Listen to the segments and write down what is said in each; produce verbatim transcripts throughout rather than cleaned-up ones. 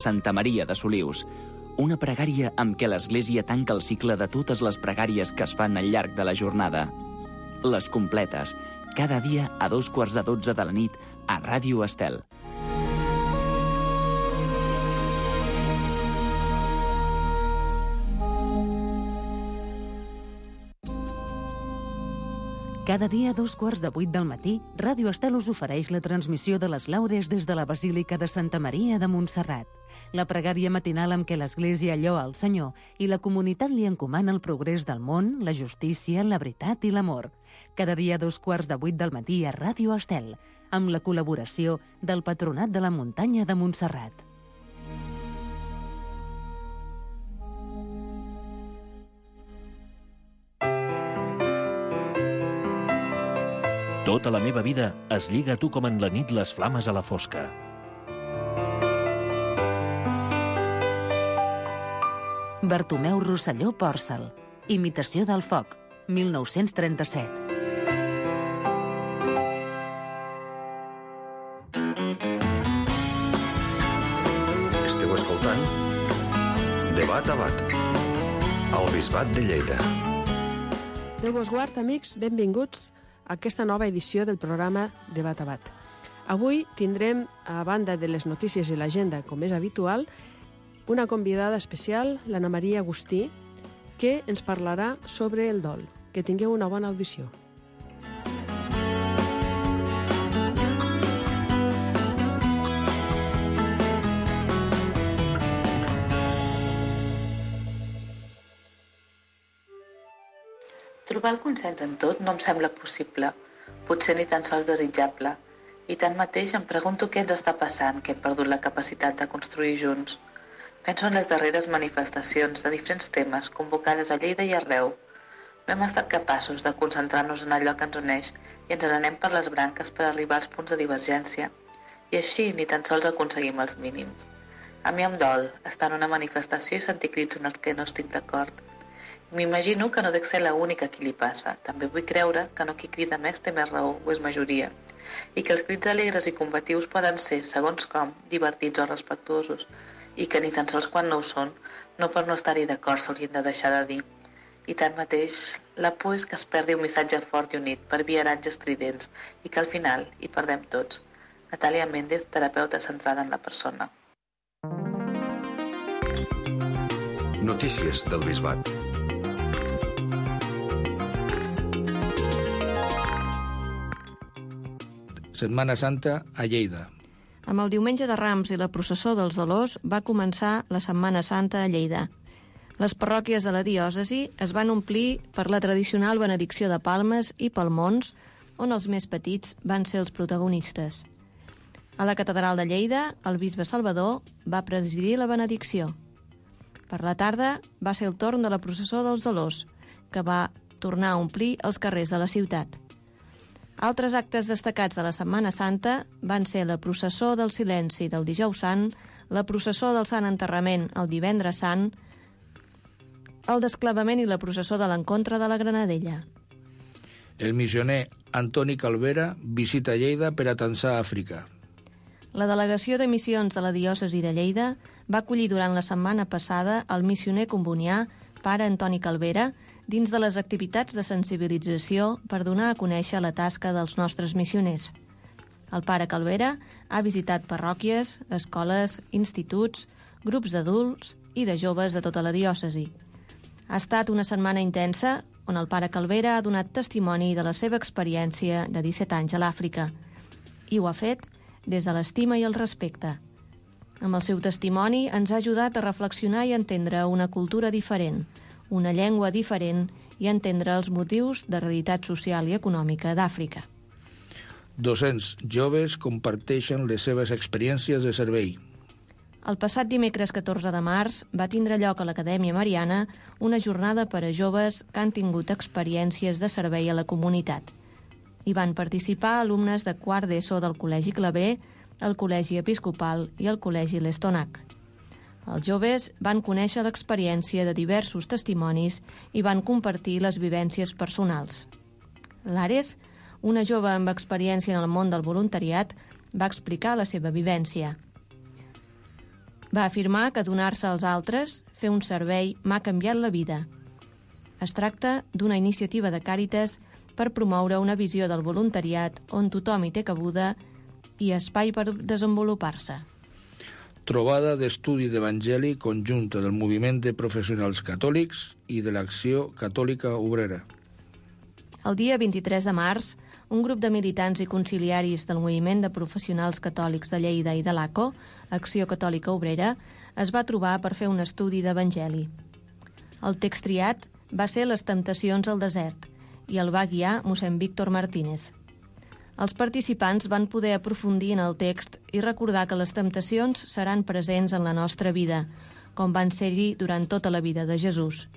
Santa Maria de Solius. Una pregària amb què l'Església tanca el cicle de totes les pregàries que es fan al llarg de la jornada. Les completes, cada dia a dos quarts de dotze de la nit a Ràdio Estel. Cada dia a dos quarts de vuit del matí, Ràdio Estel us ofereix la transmissió de les laudes des de la Basílica de Santa Maria de Montserrat. La pregària matinal amb què l'Església lloa el Senyor i la comunitat li encomana el progrés del món, la justícia, la veritat i l'amor. Cada dia a dos quarts de vuit del matí a Ràdio Estel, amb la col·laboració del Patronat de la Muntanya de Montserrat. Tota la meva vida es lliga a tu com en la nit les flames a la fosca. Bartomeu Rosselló Pòrcel. Imitació del foc, mil nou-cents trenta-set. Esteu escoltant Debat a Bat, al Bisbat de Lleida. Déu vos guard, amics, benvinguts a aquesta nova edició del programa Debat a Bat. Avui tindrem, a banda de les notícies i l'agenda, com és habitual, una convidada especial, l'Anna Maria Agustí, que ens parlarà sobre el dol. Que tingueu una bona audició. Trobar el consens en tot no em sembla possible, potser ni tan sols desitjable, i tanmateix em pregunto què ens està passant, que hem perdut la capacitat de construir junts. Penso en les darreres manifestacions de diferents temes convocades a Lleida i arreu. No hem estat capaços de concentrar-nos en allò que ens uneix i ens n'anem per les branques per arribar als punts de divergència, i així ni tan sols aconseguim els mínims. A mi em dol estar en una manifestació i sentir crits en els que no estic d'acord. M'imagino que no dec ser l'única a qui li passa. També vull creure que no qui crida més té més raó o és majoria, i que els crits alegres i combatius poden ser, segons com, divertits o respectuosos, i que ni tan sols quan no ho són, no per no estar-hi d'acord s'haurien de deixar de dir. I tanmateix, la por és que es perdi un missatge fort i unit per viaratges estridents i que al final hi perdem tots. Natàlia Méndez, terapeuta centrada en la persona. Notícies del Bisbat. Setmana Santa a Lleida. Amb el diumenge de Rams i la processó dels Dolors va començar la Setmana Santa a Lleida. Les parròquies de la diòcesi es van omplir per la tradicional benedicció de palmes i palmons, on els més petits van ser els protagonistes. A la catedral de Lleida, el bisbe Salvador va presidir la benedicció. Per la tarda va ser el torn de la processó dels Dolors, que va tornar a omplir els carrers de la ciutat. Altres actes destacats de la Setmana Santa van ser la processó del Silenci del Dijous Sant, la processó del Sant Enterrament el Divendres Sant, el desclavament i la processó de l'Encontre de la Granadella. El missioner Antoni Calvera visita Lleida per atansar Àfrica. La delegació de missions de la diòcesi de Lleida va acollir durant la setmana passada el missioner combonià, pare Antoni Calvera, dins de les activitats de sensibilització per donar a conèixer la tasca dels nostres missioners. El pare Calvera ha visitat parròquies, escoles, instituts, grups d'adults i de joves de tota la diòcesi. Ha estat una setmana intensa on el pare Calvera ha donat testimoni de la seva experiència de disset anys a l'Àfrica, i ho ha fet des de l'estima i el respecte. Amb el seu testimoni ens ha ajudat a reflexionar i entendre una cultura diferent, una llengua diferent i entendre els motius de realitat social i econòmica d'Àfrica. dos-cents joves comparteixen les seves experiències de servei. El passat dimecres catorze de març va tindre lloc a l'Acadèmia Mariana una jornada per a joves que han tingut experiències de servei a la comunitat. Hi van participar alumnes de quart d'ESO del Col·legi Claver, el Col·legi Episcopal i el Col·legi L'Estonac. Els joves van conèixer l'experiència de diversos testimonis i van compartir les vivències personals. L'Ares, una jove amb experiència en el món del voluntariat, va explicar la seva vivència. Va afirmar que donar-se als altres, fer un servei, m'ha canviat la vida. Es tracta d'una iniciativa de Càritas per promoure una visió del voluntariat on tothom hi té cabuda i espai per desenvolupar-se. Trobada d'estudi d'Evangeli conjunta del moviment de professionals catòlics i de l'Acció Catòlica Obrera. El dia vint-i-tres de març, un grup de militants i conciliaris del moviment de professionals catòlics de Lleida i de l'A C O, Acció Catòlica Obrera, es va trobar per fer un estudi d'Evangeli. El text triat va ser Les temptacions al desert i el va guiar mossèn Víctor Martínez. Els participants van poder aprofundir en el text i recordar que les temptacions seran presents en la nostra vida, com van ser-hi durant tota la vida de Jesús.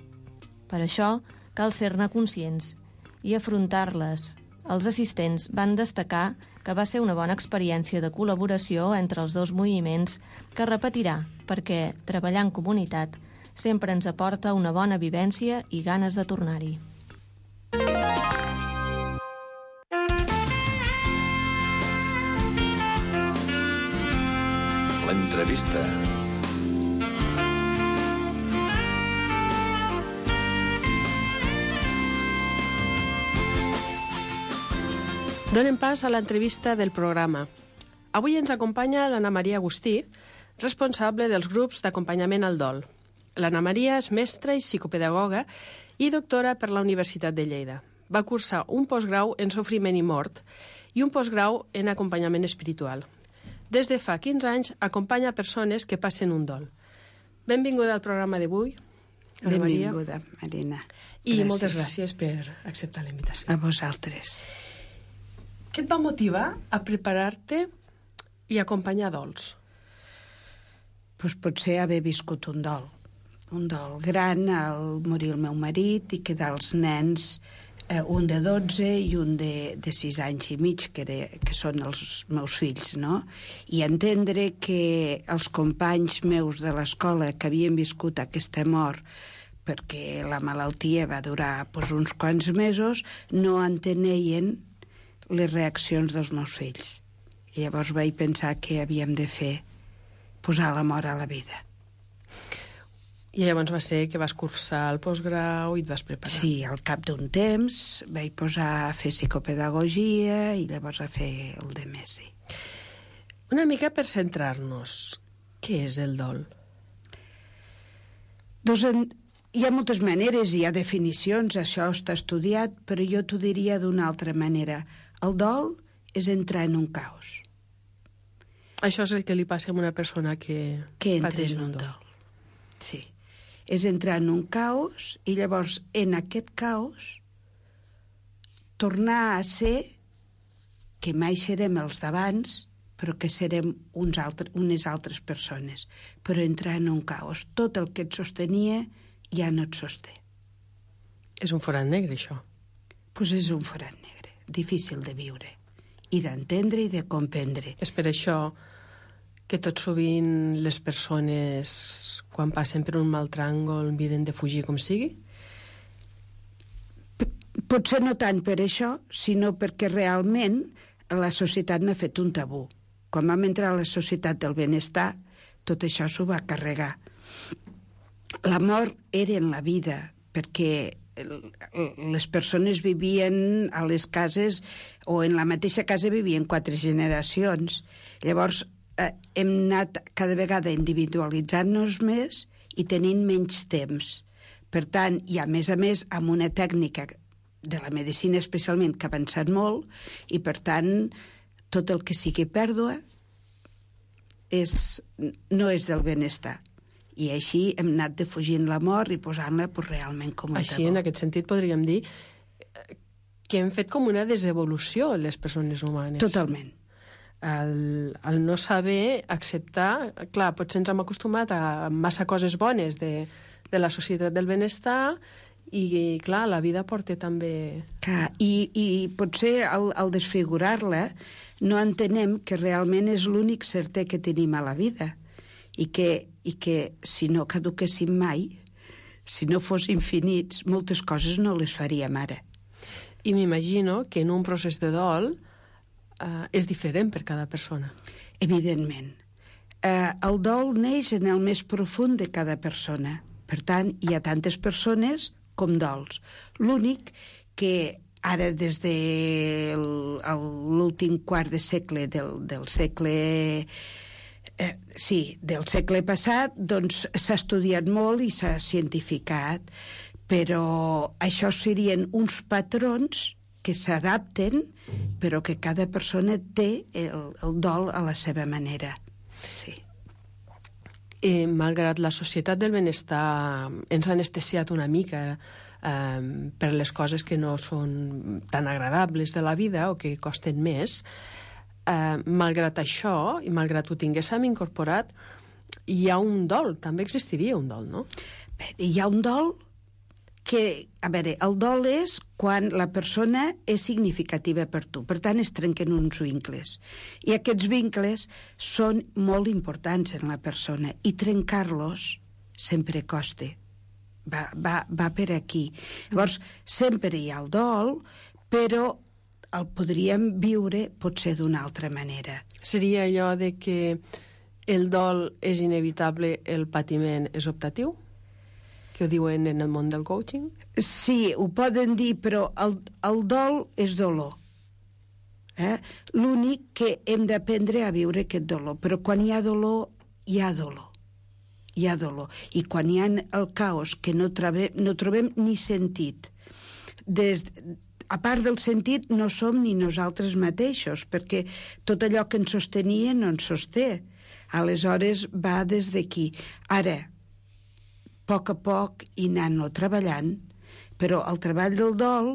Per això, cal ser-ne conscients i afrontar-les. Els assistents van destacar que va ser una bona experiència de col·laboració entre els dos moviments que repetirà, perquè treballar en comunitat sempre ens aporta una bona vivència i ganes de tornar-hi. L'entrevista. Donem pas a l'entrevista del programa. Avui ens acompanya l'Anna Maria Agustí, responsable dels grups d'acompanyament al dol. L'Anna Maria és mestra i psicopedagoga i doctora per la Universitat de Lleida. Va cursar un postgrau en sofriment i mort i un postgrau en acompanyament espiritual. Des de fa quinze anys acompanya persones que passen un dol. Benvinguda al programa d'avui, Anna Maria. Benvinguda, Marina. I gràcies. moltes gràcies per acceptar la invitació. A vosaltres. Què et va motivar a preparar-te i acompanyar dols? Pues potser haver viscut un dol. Un dol gran al morir el meu marit i quedar els nens, eh, un de dotze i un de, de sis anys i mig, que, era, que són els meus fills, no? I entendre que els companys meus de l'escola que havien viscut aquesta mort perquè la malaltia va durar pues, uns quants mesos, no entenien les reaccions dels meus fills. I llavors vaig pensar que havíem de fer posar la mort a la vida. I llavors va ser que vas cursar el postgrau i et vas preparar. Sí, al cap d'un temps vaig posar a fer psicopedagogia i llavors a fer el de més, sí. Una mica per centrar-nos, què és el dol? Doncs en, hi ha moltes maneres, hi ha definicions, això està estudiat, però jo t'ho diria d'una altra manera. El dol és entrar en un caos. Això és el que li passa a una persona que, que entra pateix en un un dol. dol. Sí. És entrar en un caos i llavors en aquest caos tornar a ser que mai serem els d'abans, però que serem uns altres, unes altres persones. Però entrar en un caos. Tot el que et sostenia ja no et sosté. És un forat negre, això. Doncs pues és un forat negre, difícil de viure, i d'entendre i de comprendre. És per això que tot sovint les persones, quan passen per un mal tràngol, miren de fugir com sigui? P potser no tant per això, sinó perquè realment la societat n'ha fet un tabú. Quan vam entrar a la societat del benestar, tot això s'ho va carregar. La mort era en la vida, perquè les persones vivien a les cases, o en la mateixa casa vivien quatre generacions. Llavors, eh, hem anat cada vegada individualitzant-nos més i tenint menys temps. Per tant, i a més a més amb una tècnica de la medicina especialment que ha avançat molt, i per tant tot el que sigui pèrdua és, no és del benestar. I així hem anat defugint la mort i posant-la pues, realment com un Així, tabú. en aquest sentit, podríem dir que hem fet com una desevolució les persones humanes. Totalment. El, el no saber acceptar... Clar, potser ens hem acostumat a massa coses bones de, de la societat del benestar i, clar, la vida porta també... Clar, i, i potser al, al desfigurar-la no entenem que realment és l'únic certer que tenim a la vida i que, i que si no caduquéssim mai, si no fos infinits, moltes coses no les faríem ara. I m'imagino que en un procés de dol eh, és diferent per cada persona. Evidentment. eh, el dol neix en el més profund de cada persona. Per tant, hi ha tantes persones com dols. L'únic que ara, des de l'últim quart de segle del, del segle... Eh, sí, del segle passat, doncs s'ha estudiat molt i s'ha cientificat, però això serien uns patrons que s'adapten, però que cada persona té el, el dol a la seva manera. Sí. Eh, malgrat la societat del benestar ens ha anestesiat una mica eh, per les coses que no són tan agradables de la vida o que costen més, eh, malgrat això, i malgrat ho tinguéssim incorporat, hi ha un dol, també existiria un dol, no? Bé, hi ha un dol que, a veure, el dol és quan la persona és significativa per tu, per tant es trenquen uns vincles, i aquests vincles són molt importants en la persona, i trencar-los sempre costa, va, va, va per aquí. Llavors, sempre hi ha el dol, però el podríem viure potser d'una altra manera. Seria allò de que el dol és inevitable, el patiment és optatiu? Que ho diuen en el món del coaching? Sí, ho poden dir, però el, el dol és dolor. Eh? L'únic que hem d'aprendre a viure aquest dolor. Però quan hi ha dolor, hi ha dolor. Hi ha dolor. I quan hi ha el caos, que no trobem, no trobem ni sentit. Des, a part del sentit, no som ni nosaltres mateixos, perquè tot allò que ens sostenia no ens sosté. Aleshores, va des d'aquí. Ara, a poc a poc i anant-lo treballant, però el treball del dol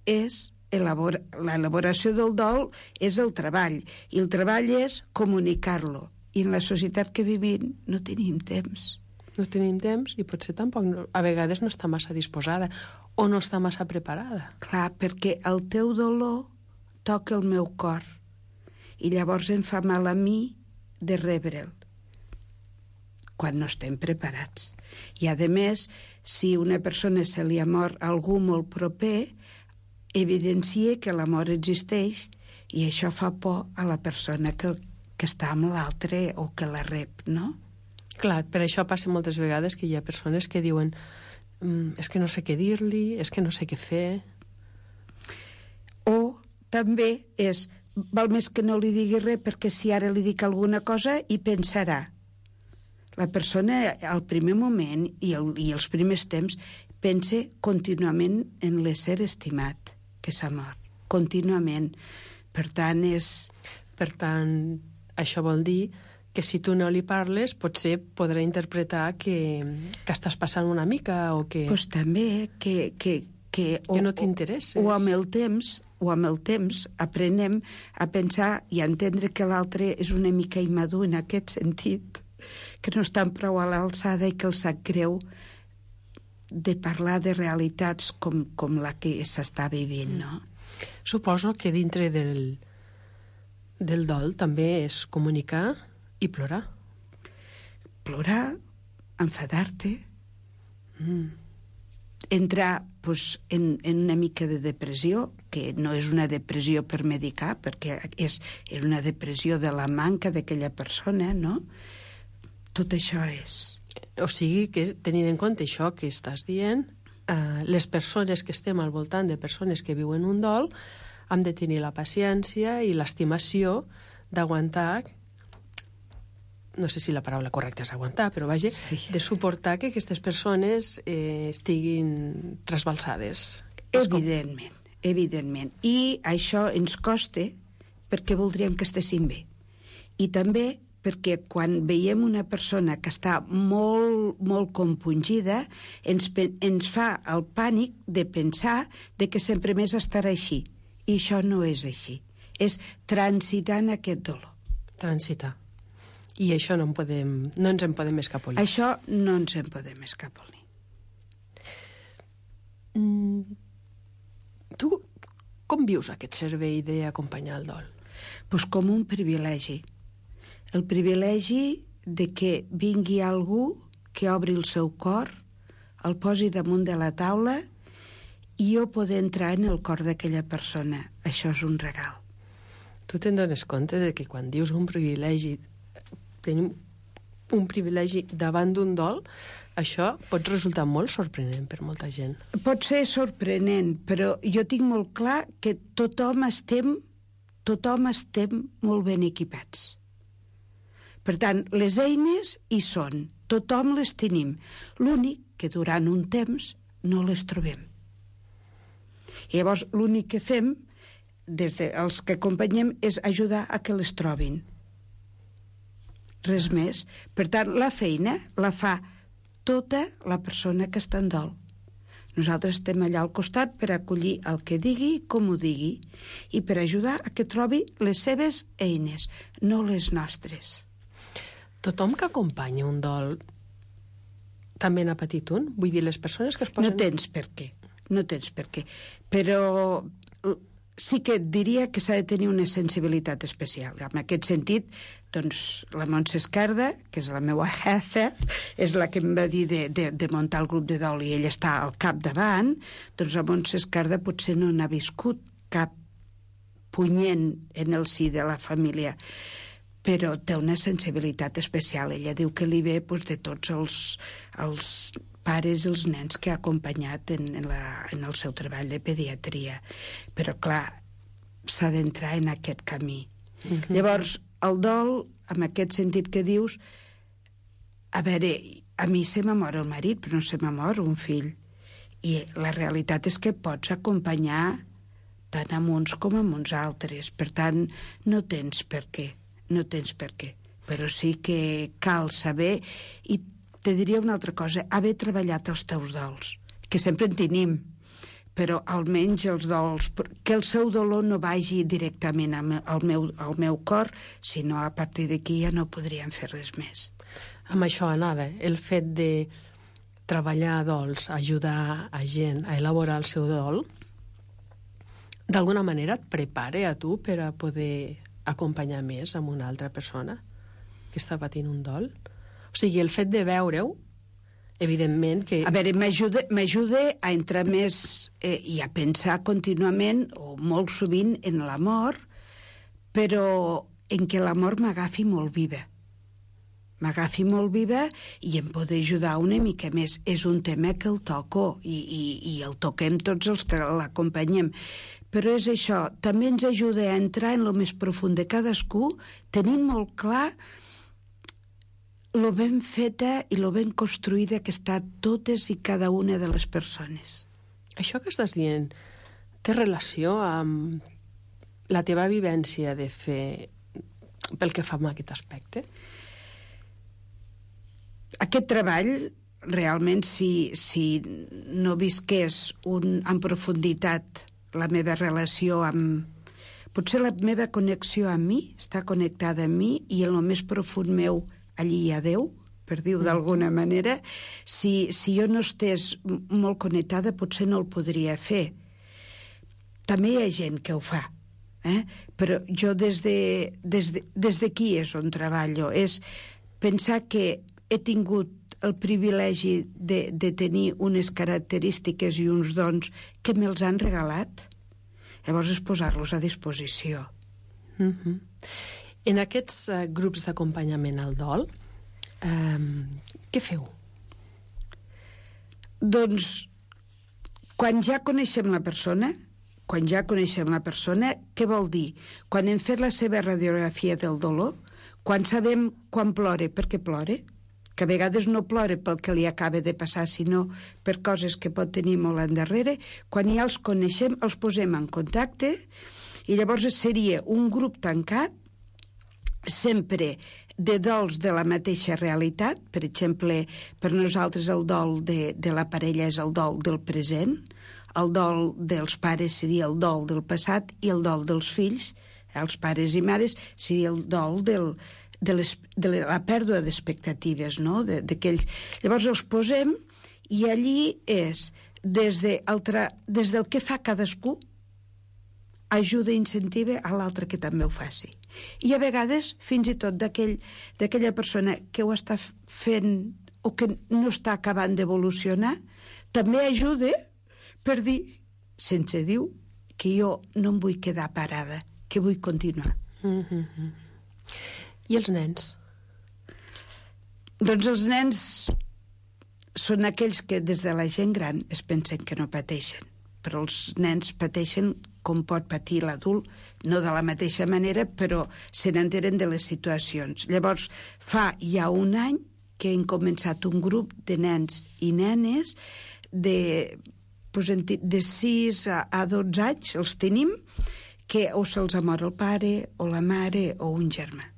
és elabora, l'elaboració del dol és el treball, i el treball és comunicar-lo, i en la societat que vivim no tenim temps. No tenim temps i potser tampoc no, a vegades no està massa disposada o no està massa preparada. Clar, perquè el teu dolor toca el meu cor i llavors em fa mal a mi de rebre'l quan no estem preparats. I, a més, si una persona se li ha mort algú molt proper, evidencia que la mort existeix i això fa por a la persona que, que està amb l'altre o que la rep, no? Clar, per això passa moltes vegades que hi ha persones que diuen mm, és que no sé què dir-li, és que no sé què fer. O també és, val més que no li digui res perquè si ara li dic alguna cosa hi pensarà. La persona al primer moment i, el, i els primers temps pensa contínuament en l'ésser estimat que s'ha mort, contínuament. Per tant, és... Per tant, això vol dir que si tu no li parles potser podrà interpretar que, que estàs passant una mica o que... Pues també, que... que que, o, que no t'interesses. O, o amb el temps, o amb el temps aprenem a pensar i a entendre que l'altre és una mica immadur en aquest sentit, que no estan prou a l'alçada i que el sap greu de parlar de realitats com, com la que s'està vivint, no? Suposo que dintre del, del dol també és comunicar i plorar. Plorar, enfadar-te, mm. entrar pues, en, en una mica de depressió, que no és una depressió per medicar, perquè és, és una depressió de la manca d'aquella persona, no? Tot això és. O sigui que, tenint en compte això que estàs dient, eh, les persones que estem al voltant de persones que viuen un dol hem de tenir la paciència i l'estimació d'aguantar, no sé si la paraula correcta és aguantar, però vaja, sí. de suportar que aquestes persones eh, estiguin trasbalsades. Evidentment, evidentment. I això ens costa perquè voldríem que estéssim bé. I també perquè quan veiem una persona que està molt, molt compungida, ens, ens fa el pànic de pensar de que sempre més estarà així. I això no és així. És transitar en aquest dolor. Transitar. I això no, en podem, no ens en podem escapolir. Això no ens en podem escapolir. Mm, tu com vius aquest servei d'acompanyar el dol? Pues com un privilegi. El privilegi de que vingui algú que obri el seu cor, el posi damunt de la taula i jo poder entrar en el cor d'aquella persona. Això és un regal. Tu te'n dones compte de que quan dius un privilegi tenim un privilegi davant d'un dol, això pot resultar molt sorprenent per molta gent. Pot ser sorprenent, però jo tinc molt clar que tothom estem, tothom estem molt ben equipats. Per tant, les eines hi són, tothom les tenim. L'únic que durant un temps no les trobem. I llavors l'únic que fem, des dels que acompanyem, és ajudar a que les trobin. Res més. Per tant, la feina la fa tota la persona que està en dol. Nosaltres estem allà al costat per acollir el que digui, com ho digui, i per ajudar a que trobi les seves eines, no les nostres. Tothom que acompanya un dol també n'ha patit un? Vull dir, les persones que es posen... No tens per què, no tens per què. Però sí que et diria que s'ha de tenir una sensibilitat especial. En aquest sentit, doncs, la Montse Escarda, que és la meva jefa, és la que em va dir de, de, de muntar el grup de dol i ella està al capdavant, doncs la Montse Escarda potser no n'ha viscut cap punyent en el si de la família, però té una sensibilitat especial. Ella diu que li ve doncs, de tots els, els pares i els nens que ha acompanyat en, en, la, en el seu treball de pediatria. Però, clar, s'ha d'entrar en aquest camí. Mm-hmm. Llavors, el dol, en aquest sentit que dius, a veure, a mi se m'ha mort el marit, però no se m'ha mort un fill. I la realitat és que pots acompanyar tant amb uns com amb uns altres. Per tant, no tens per què. No tens per què, però sí que cal saber, i te diria una altra cosa, haver treballat els teus dols, que sempre en tenim, però almenys els dols, que el seu dolor no vagi directament al meu, al meu cor, sinó a partir d'aquí ja no podríem fer res més. Amb això anava, el fet de treballar dols, ajudar a gent a elaborar el seu dol, d'alguna manera et prepara a tu per a poder acompanyar més amb una altra persona que està patint un dol. O sigui, el fet de veure-ho, evidentment que... A veure, m'ajuda a entrar més eh, i a pensar contínuament, o molt sovint, en la mort, però en què la mort m'agafi molt viva. M'agafi molt viva i em pot ajudar una mica més. És un tema que el toco i, i, i el toquem tots els que l'acompanyem. Però és això, també ens ajuda a entrar en lo més profund de cadascú, tenint molt clar lo ben feta i lo ben construïda que està totes i cada una de les persones. Això que estàs dient té relació amb la teva vivència de fer pel que fa amb aquest aspecte? Aquest treball, realment, si, si no visqués un, en profunditat la meva relació amb... Potser la meva connexió amb mi està connectada amb mi i en el més profund meu allí hi ha Déu, per dir-ho d'alguna manera. Si, si jo no estés molt connectada, potser no el podria fer. També hi ha gent que ho fa, eh? Però jo des de, des de, des d'aquí és on treballo. És pensar que he tingut el privilegi de, de tenir unes característiques i uns dons que me'ls han regalat, llavors és posar-los a disposició. Mm-hmm. En aquests uh, grups d'acompanyament al dol, um, què feu? Doncs, quan ja coneixem la persona, quan ja coneixem la persona, què vol dir? Quan hem fet la seva radiografia del dolor, quan sabem quan plora, per què plora, que a vegades no plora pel que li acaba de passar, sinó per coses que pot tenir molt endarrere, quan ja els coneixem, els posem en contacte, i llavors seria un grup tancat, sempre de dols de la mateixa realitat. Per exemple, per nosaltres el dol de, de la parella és el dol del present, el dol dels pares seria el dol del passat i el dol dels fills, els pares i mares, seria el dol del, de, les, de la pèrdua d'expectatives, no? De, d'aquells... Llavors els posem i allí és des, de altra, des del que fa cadascú, ajuda i incentiva a l'altre que també ho faci. I a vegades, fins i tot d'aquell, d'aquella persona que ho està fent o que no està acabant d'evolucionar, també ajuda per dir, sense dir, que jo no em vull quedar parada, que vull continuar. Mm-hmm. I els nens? Doncs els nens són aquells que des de la gent gran es pensen que no pateixen, però els nens pateixen com pot patir l'adult, no de la mateixa manera, però se n'entenen de les situacions. Llavors, fa ja un any que hem començat un grup de nens i nenes de, de sis a dotze anys, els tenim, que o se'ls ha mort el pare, o la mare, o un germà.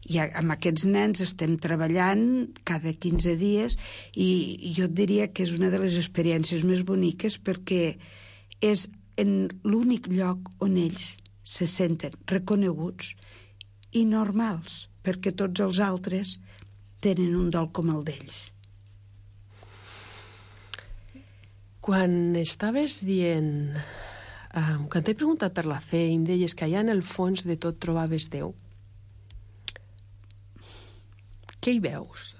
I amb aquests nens estem treballant cada quinze dies i jo et diria que és una de les experiències més boniques perquè és en l'únic lloc on ells se senten reconeguts i normals, perquè tots els altres tenen un dol com el d'ells. Quan estaves dient, eh, quan t'he preguntat per la fe i em deies que allà en el fons de tot trobaves Déu, què hi veus?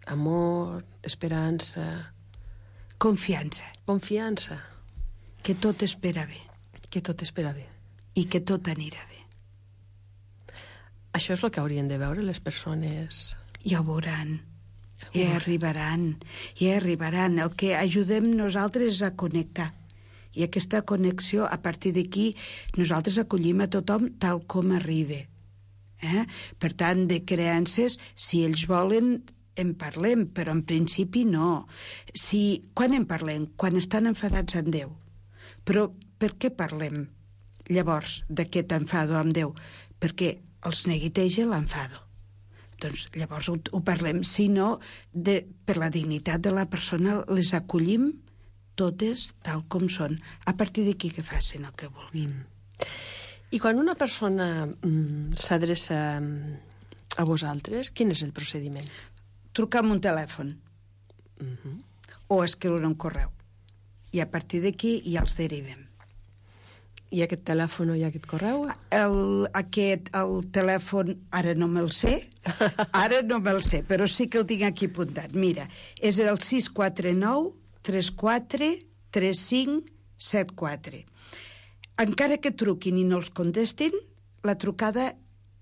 Amor, esperança... Confiança. Confiança. Que tot espera bé. Que tot espera bé. I que tot anirà bé. Això és el que haurien de veure les persones. Ja ho veuran. Ja arribaran. Ja arribaran. El que ajudem nosaltres a connectar. I aquesta connexió, a partir d'aquí, nosaltres acollim a tothom tal com arriba. Eh? Per tant, de creences, si ells volen, en parlem, però en principi no. Si, quan en parlem? Quan estan enfadats amb Déu. Però per què parlem llavors d'aquest enfado amb Déu? Perquè els neguiteja l'enfado. Doncs llavors ho, ho parlem. Si no, de, per la dignitat de la persona les acollim totes tal com són. A partir d'aquí que facin el que vulguin. Mm. I quan una persona mm, s'adreça a vosaltres, quin és el procediment? Trucar amb un telèfon. Uh-huh. O escriure un correu. I a partir d'aquí ja els derivem. I aquest telèfon i aquest correu? El, aquest, el telèfon, ara no me'l sé, ara no me'l sé, però sí que el tinc aquí apuntat. Mira, és el sis quatre nou tres quatre tres cinc set quatre. Encara que truquin i no els contestin, la trucada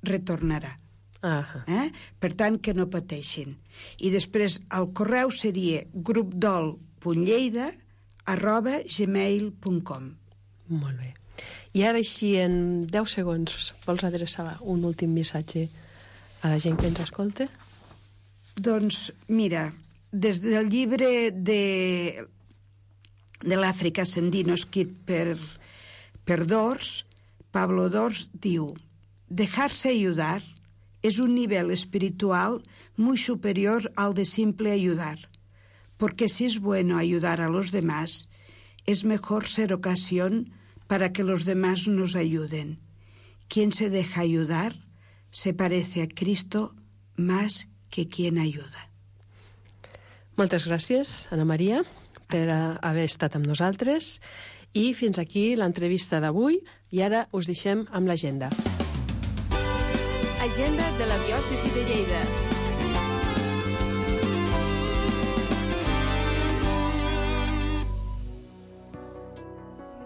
retornarà. Uh-huh. Eh? Per tant, que no pateixin. I després el correu seria grupdol.lleida arroba gmail punt com. Molt bé. I ara així, en deu segons, vols adreçar un últim missatge a la gent que ens escolta? Doncs, mira, des del llibre de, de l'Àfrica Sendino, escrit per, per Dors, Pablo Dors diu: dejarse ayudar es un nivel espiritual muy superior al de simple ayudar, porque si es bueno ayudar a los demás, es mejor ser ocasión para que los demás nos ayuden. Quien se deja ayudar se parece a Cristo más que quien ayuda. Moltes gràcies, Ana Maria, per haver estat amb nosaltres. I fins aquí l'entrevista d'avui. I ara us deixem amb l'agenda. Agenda de la diòcesi de Lleida.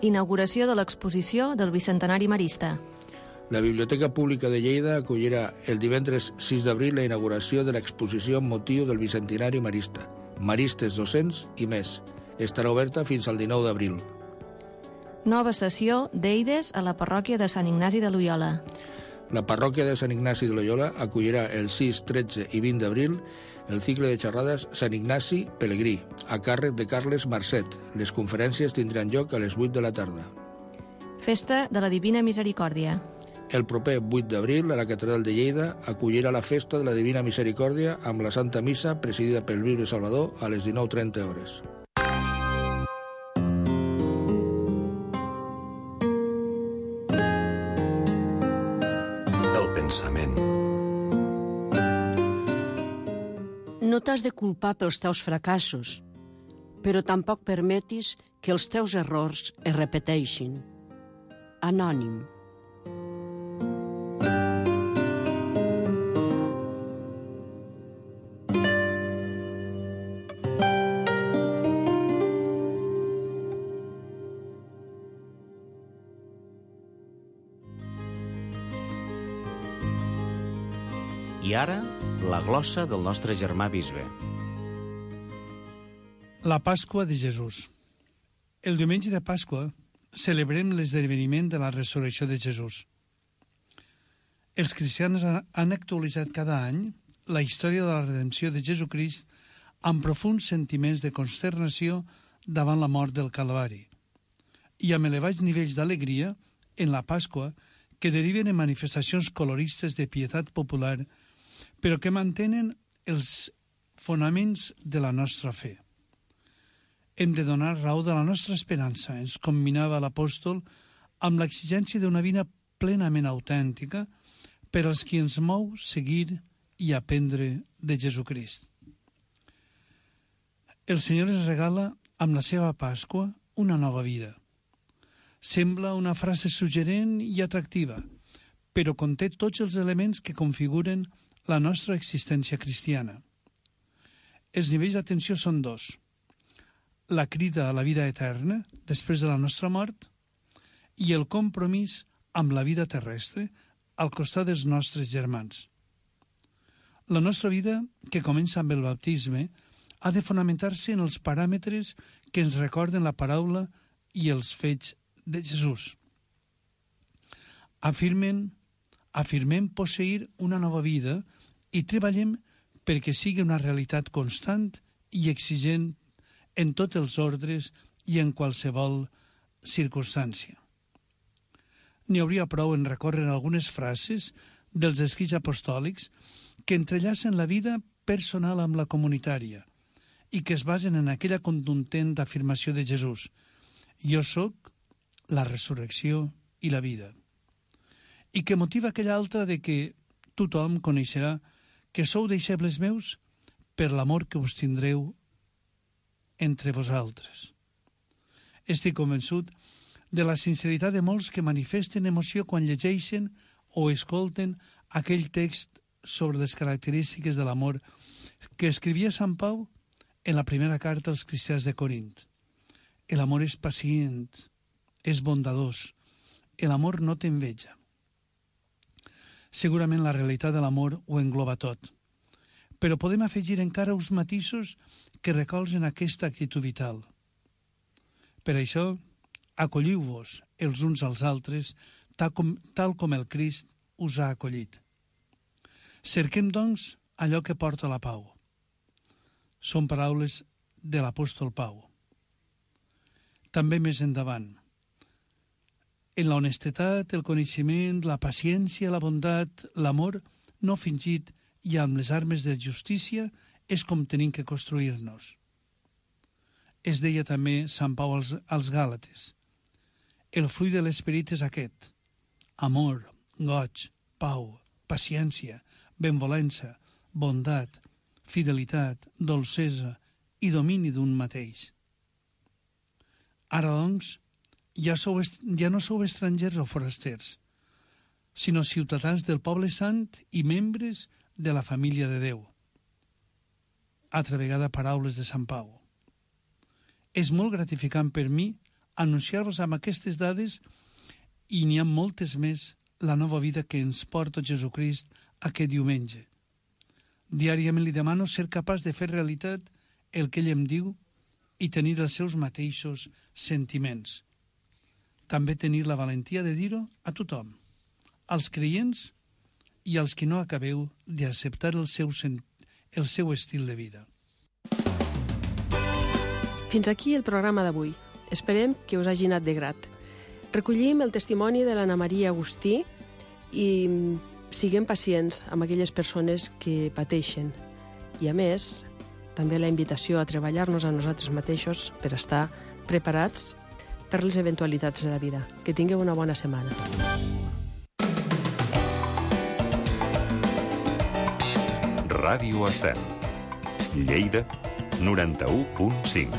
Inauguració de l'exposició del Bicentenari Marista. La Biblioteca Pública de Lleida acollirà el divendres sis d'abril la inauguració de l'exposició amb motiu del Bicentenari Marista, Maristes docents i més. Estarà oberta fins al dinou d'abril. Nova sessió d'Eides a la parròquia de Sant Ignasi de Loyola. La parròquia de Sant Ignasi de Loyola acollirà el sis, tretze i vint d'abril el cicle de xerrades Sant Ignasi Pelegrí, a càrrec de Carles Marcet. Les conferències tindran lloc a les vuit de la tarda. Festa de la Divina Misericòrdia. El proper vuit d'abril, a la Catedral de Lleida, acollirà la Festa de la Divina Misericòrdia amb la Santa Missa presidida pel Bisbe Salvador a les dinou trenta hores. El pensament. No t'has de culpar pels teus fracassos, però tampoc permetis que els teus errors es repeteixin. Anònim. I I ara, la glossa del nostre germà bisbe. La Pasqua de Jesús. El diumenge de Pasqua celebrem l'esdeveniment de la resurrecció de Jesús. Els cristians han actualitzat cada any la història de la redempció de Jesucrist amb profunds sentiments de consternació davant la mort del Calvari i amb elevats nivells d'alegria en la Pasqua que deriven en manifestacions coloristes de pietat popular, però que mantenen els fonaments de la nostra fe. Hem de donar raó de la nostra esperança, ens combinava l'apòstol, amb l'exigència d'una vida plenament autèntica per als qui ens mou seguir i aprendre de Jesucrist. El Senyor ens regala amb la seva Pasqua una nova vida. Sembla una frase suggerent i atractiva, però conté tots els elements que configuren la nostra existència cristiana. Els nivells d'atenció són dos. La crida a la vida eterna, després de la nostra mort, i el compromís amb la vida terrestre al costat dels nostres germans. La nostra vida, que comença amb el baptisme, ha de fonamentar-se en els paràmetres que ens recorden la paraula i els fets de Jesús. Afirmen, afirmem posseir una nova vida i treballem perquè sigui una realitat constant i exigent en tots els ordres i en qualsevol circumstància. N'hi hauria prou en recórrer algunes frases dels escrits apostòlics que entrellacen la vida personal amb la comunitària i que es basen en aquella contundent afirmació de Jesús: jo sóc la resurrecció i la vida, i que motiva aquella altra de que tothom coneixerà que sou deixebles meus per l'amor que us tindreu entre vosaltres. Estic convençut de la sinceritat de molts que manifesten emoció quan llegeixen o escolten aquell text sobre les característiques de l'amor que escrivia Sant Pau en la primera carta als cristians de Corint. El amor és pacient, és bondadós, el amor no té enveja. Segurament la realitat de l'amor ho engloba tot, però podem afegir encara uns matisos que recolzen aquesta actitud vital. Per això, acolliu-vos els uns als altres tal com, tal com el Crist us ha acollit. Cerquem, doncs, allò que porta la pau. Són paraules de l'apòstol Pau. També més endavant. En la honestedat, el coneixement, la paciència, la bondat, l'amor no fingit i amb les armes de justícia és com tenim que construir-nos. Es deia també Sant Pau als, als Gàlates: el fruit de l'esperit és aquest: amor, goig, pau, paciència, benvolença, bondat, fidelitat, dolcesa i domini d'un mateix. Ara, doncs, ja, sou, ja no sou estrangers o forasters, sinó ciutadans del poble sant i membres de la família de Déu. Altra vegada paraules de Sant Pau. És molt gratificant per mi anunciar-vos amb aquestes dades, i n'hi ha moltes més, la nova vida que ens porta Jesucrist aquest diumenge. Diàriament li demano ser capaç de fer realitat el que ell em diu i tenir els seus mateixos sentiments. També tenir la valentia de dir-ho a tothom, als creients i als que no acabeu d'acceptar el seu, el seu estil de vida. Fins aquí el programa d'avui. Esperem que us hagi anat de grat. Recollim el testimoni de l'Anna Maria Agustí i siguem pacients amb aquelles persones que pateixen. I, a més, també la invitació a treballar-nos a nosaltres mateixos per estar preparats per les eventualitats de la vida. Que tingueu una bona setmana. Ràdio Estel. Lleida, noranta-u punt cinc.